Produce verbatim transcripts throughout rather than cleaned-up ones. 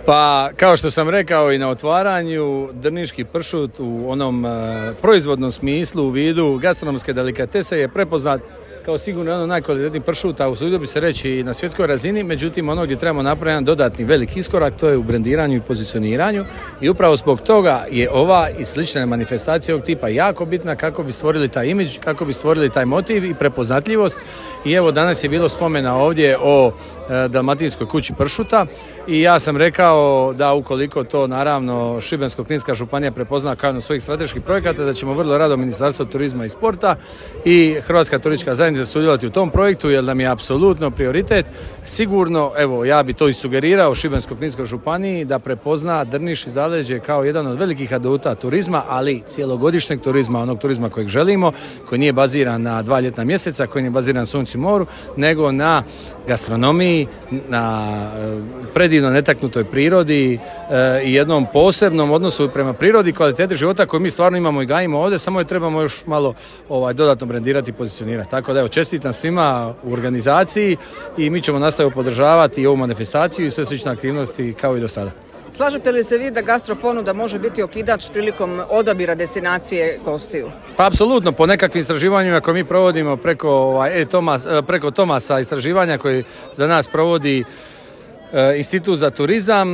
Pa, kao što sam rekao i na otvaranju, drniški pršut u onom e, proizvodnom smislu u vidu gastronomske delikatese je prepoznat kao sigurno jedan od najkvalitetnijih pršuta, usudio bi se reći i na svjetskoj razini, međutim ono gdje trebamo napraviti jedan dodatni veliki iskorak, to je u brendiranju i pozicioniranju i upravo zbog toga je ova i slične manifestacije ovog tipa jako bitna kako bi stvorili taj imidž, kako bi stvorili taj motiv i prepoznatljivost. I evo danas je bilo spomena ovdje o e, Dalmatinskoj kući pršuta i ja sam rekao da ukoliko to naravno Šibensko-kninska županija prepozna kao jedan od svojih strateških projekata, da ćemo vrlo rado Ministarstvo turizma i sporta i Hrvatska turistička zajednica sudjelovati u tom projektu, jer nam je apsolutno prioritet. Sigurno, evo, ja bi to i sugerirao Šibensko-kninskoj županiji da prepozna Drniš i zaleđe kao jedan od velikih aduta turizma, ali cijelogodišnjeg turizma, onog turizma kojeg želimo, koji nije baziran na dva ljetna mjeseca, koji nije baziran na suncu i moru, nego na gastronomiji, na predivno netaknutoj prirodi e, i jednom posebnom odnosu prema prirodi, kvaliteti života koju mi stvarno imamo i gajimo ovdje, samo je trebamo još malo ovaj, dodatno brendirati i pozicionirati. Tako da evo, čestitam svima u organizaciji i mi ćemo nastaviti podržavati i ovu manifestaciju i sve slične aktivnosti kao i do sada. Slažete li se vi da gastro ponuda može biti okidač prilikom odabira destinacije gostiju? Pa apsolutno, po nekakvim istraživanjima koje mi provodimo preko, ovaj, e-Tomas, preko Tomasa istraživanja koji za nas provodi Institut za turizam,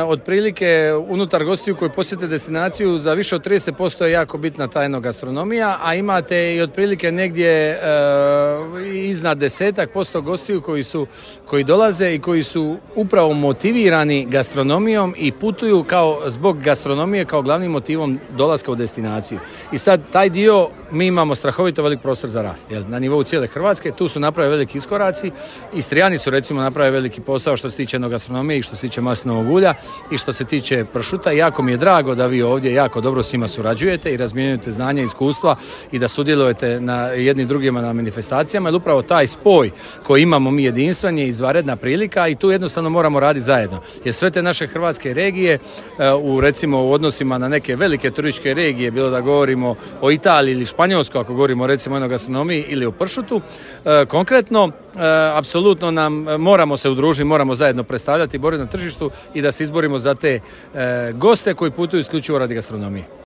otprilike unutar gostiju koji posjete destinaciju za više od trideset posto je jako bitna ta enogastronomija, a imate i otprilike negdje e, iznad desetak posto gostiju koji su koji dolaze i koji su upravo motivirani gastronomijom i putuju kao zbog gastronomije kao glavnim motivom dolaska u destinaciju. I sad taj dio mi imamo strahovito velik prostor za rast, jel? Na nivou cijele Hrvatske, tu su napravili veliki iskoraci. Istrijani su recimo napravili veliki posao što se tiče gastronomije i što se tiče maslinovog ulja i što se tiče pršuta. Jako mi je drago da vi ovdje jako dobro s njima surađujete i razmjenjujete znanje i iskustva i da sudjelujete na jednim drugima na manifestacijama, jer upravo taj spoj koji imamo mi jedinstven je izvanredna prilika i tu jednostavno moramo raditi zajedno. Jer sve te naše hrvatske regije u recimo u odnosima na neke velike turističke regije, bilo da govorimo o Italiji ili Španjolskoj, ako govorimo recimo o gastronomiji ili o pršutu, konkretno apsolutno nam moramo se udružiti, moramo zajedno predstavljati, boriti na tržištu i da se izborimo za te e, goste koji putuju isključivo radi gastronomije.